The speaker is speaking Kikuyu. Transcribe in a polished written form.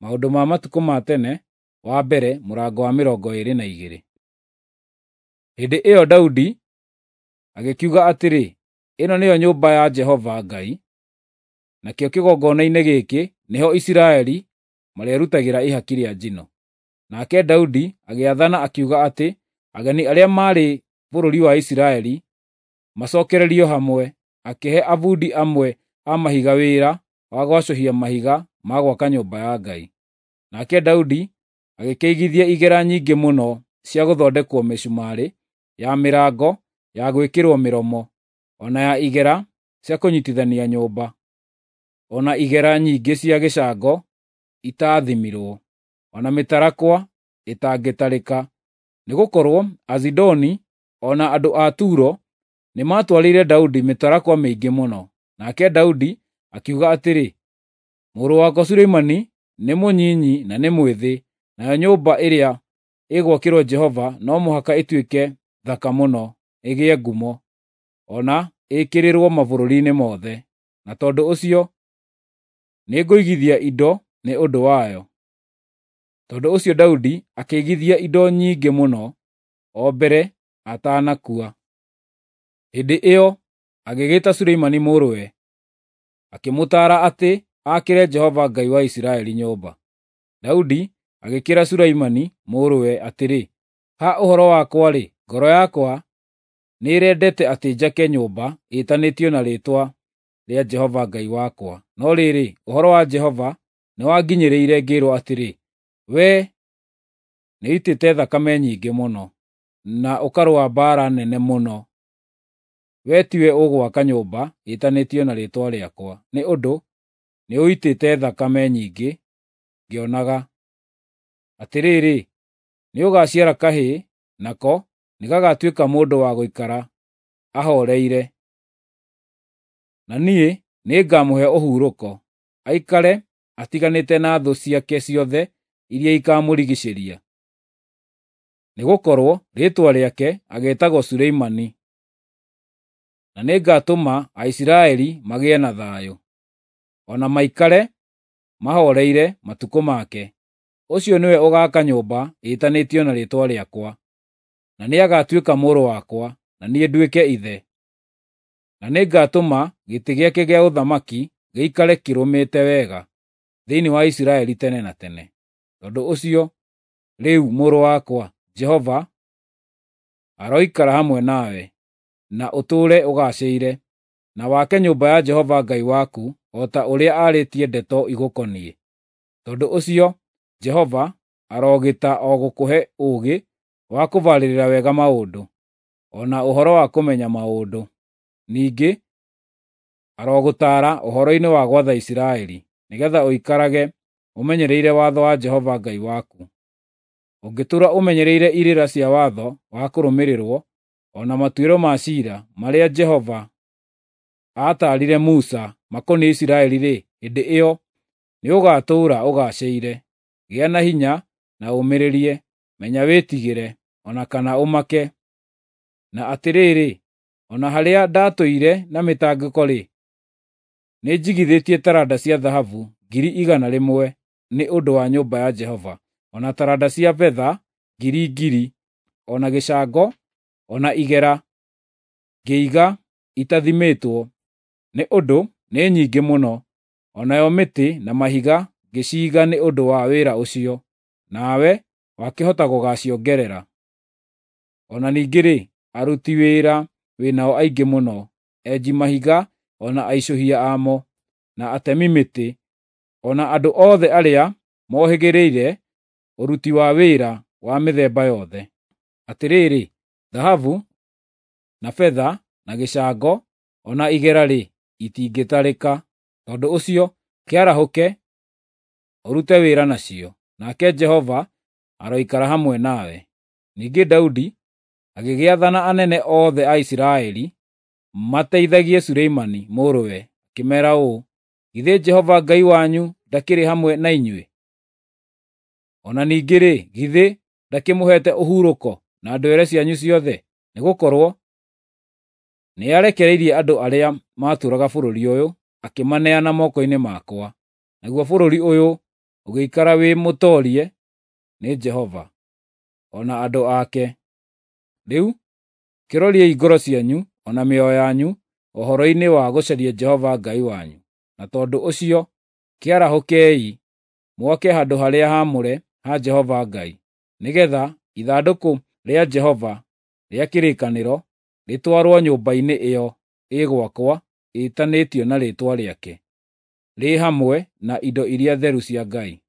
Maũndũ ma Matukũ ma Tene wa mbere mũrango wa 22. Hĩndĩ ĩyo Daudi agĩkiuga atĩrĩ, “Ĩno nĩyo nyũmba ya Jehova Ngai, nakĩo kĩgongona-inĩ gĩkĩ nĩho Isiraeli marĩrutagĩra ihaki rĩa njino.” Nake Daudi agĩathana akiuga atĩ ageni arĩa maarĩ bũrũri wa Isiraeli macookererio hamwe, akĩhe abundi amwe a mahiga wĩra wa gwacũhia mahiga ma gwaka nyũmba ya Ngai. Nake Daudi agĩkĩigithia igera nyingĩ mũno cia gũthondekwo mĩcumarĩ ya mĩrango ya gwĩkĩrwo mĩromo, o na ya igera cia kũnyiitithania nyũmba, o na igera nyingĩ cia gĩcango itaathimirwo, o na mĩtarakwa ĩtangĩtarĩka, nĩgũkorwo Azidoni o na andũ a Turo nĩmatwarĩire Daudi mĩtarakwa mĩingĩ mũno. Nake Daudi akiuga atĩrĩ, “Mũrũ wakwa Suleimani nĩ mũnyinyi na nĩ mwĩthĩ, nayo nyũmba ĩrĩa ĩgwakĩrwo Jehova no mũhaka ĩtuĩke thaka mũno, ĩgĩe ngumo, o na ĩkĩrĩrwo mabũrũri-inĩ mothe. Na tondũ ũcio nĩngũigithia indo nĩ ũndũ wayo.” Tondũ ũcio Daudi akĩigithia indo nyingĩ mũno o mbere atanakua. Hĩndĩ ĩyo agĩgĩta Suleimani mũrũwe, akĩmũtaara atĩ aakĩre Jehova Ngai wa Isiraeli nyũmba. Daudi agĩkĩĩra Suleimani mũrũwe atĩrĩ, “Ha ũhoro wakwa-rĩ, ngoro yakwa nĩĩrendete atĩ njake nyũmba ĩtanĩtio na rĩĩtwa rĩa Jehova Ngai wakwa. No rĩrĩ, ũhoro wa Jehova nĩwanginyĩrĩire ngĩĩrwo atĩrĩ, 'Wee nĩũitĩte thakame nyingĩ mũno, na ũkarũa mbaara nene mũno. Wee tiwe ũgwaka nyũmba ĩtanĩtio na rĩĩtwa rĩakwa, nĩ ũndũ nĩũitĩte thakame nyingĩ ngĩonaga. Atĩrĩrĩ, nĩũgaciara kahĩĩ, nako nĩgagatuĩka mũndũ wa gũikara ahooreire, na niĩ nĩngamũhe ũhurũko, aikare atiganĩte na thũ ciake ciothe iria ikamũrigiicĩria. Nĩgũkorwo rĩĩtwa rĩake ageetagwo Suleimani, na nĩngatũma Aisiraeli magĩe na thayũ, o na maikare mahooreire matukũ make. Ũcio nĩwe ũgaaka nyũmba ĩtanĩtio na rĩĩtwa rĩakwa, na nĩagatuĩka mũrũ wakwa, na niĩ nduĩke ithe. Na nĩngatũma gĩtĩ gĩake gĩa ũthamaki gĩikare kĩrũmĩte wega thĩinĩ wa Isiraeli tene na tene. Tondũ ũcio, rĩu mũrũ wakwa, Jehova aroikara hamwe nawe, na ũtũũre ũgaacĩire, na wake nyũmba ya Jehova Ngai waku o ta ũrĩa aarĩtie ndeto igũkoniĩ. Tondũ ũcio Jehova arogĩta o gũkũhe ũũgĩ wa kũbarĩrĩra wega maũndũ, o na ũhoro wa kũmenya maũndũ. Ningĩ arogũtaara ũhoro-inĩ wa gwatha Isiraeli, nĩgeetha ũikarage ũmenyereire watho wa Jehova Ngai waku. Ũngĩtũũra ũmenyereire irĩra cia watho wa kũrũmĩrĩrwo, o na matuĩro ma ciira marĩa Jehova aataarire Musa makoniĩ Isiraeli-rĩ, hĩndĩ ĩyo nĩũgatũũra ũgaacĩire. Gĩa na hinya na ũũmĩrĩrie; menya wĩtigĩre, o na kana ũmake. Na atĩrĩrĩ, o na harĩa ndaatũire na mĩtangĩko-rĩ, nĩnjigithĩtie taranda cia thahabu 100,000 nĩ ũndũ wa nyũmba ya Jehova, o na taranda cia betha ngiri ngiri, o na gĩcango, o na igera ngĩiga itathimĩtwo, nĩ ũndũ nĩ nyingĩ mũno, o nayo mĩtĩ na mahiga ngĩciiga nĩ ũndũ wa wĩra ũcio, nawe wakĩhota gũgaaciongerera. O na ningĩ-rĩ, aruti wĩra wĩ nao aingĩ mũno, enji mahiga o na aicũhia amo, na atemi mĩtĩ, o na andũ othe arĩa mohĩgĩrĩire ũruti wa wĩra wa mĩthemba yothe. Atĩrĩrĩ, thahabu, na betha, na gĩcango, o na igera-rĩ, itingĩtarĩka. Tondũ ũcio kĩarahũke, ũrute wĩra nacio, nake Jehova aroikara hamwe nawe.” Ningĩ Daudi agĩgĩathana anene othe a Isiraeli mateithagie Suleimani mũrũwe, akĩmeera ũũ, “Githĩ Jehova Ngai wanyu ndakĩrĩ hamwe na inyuĩ? O na ningĩ-rĩ, githĩ ndakĩmũheete ũhurũko na ndwere cianyu ciothe? Nĩgũkorwo nĩarekereirie andũ arĩa maatũũraga bũrũri ũyũ, akĩmaneana moko-inĩ makwa, naguo bũrũri ũyũ ũgĩikara wĩ mũtoorie nĩ Jehova, o na andũ ake. Rĩu kĩroriei ngoro cianyu o na mĩoyo yanyu ũhoro-inĩ wa gũcaria Jehova Ngai wanyu, na tondũ ũcio kĩarahũkei mwake handũ-harĩa-haamũre ha Jehova Ngai, nĩgeetha ithandũkũ rĩa Jehova rĩa kĩrĩkanĩro rĩtwarwo nyũmba-inĩ ĩyo ĩgwakwo ĩtanĩtio na Rĩĩtwa Rĩake, rĩ hamwe na indo iria theru cia Ngai.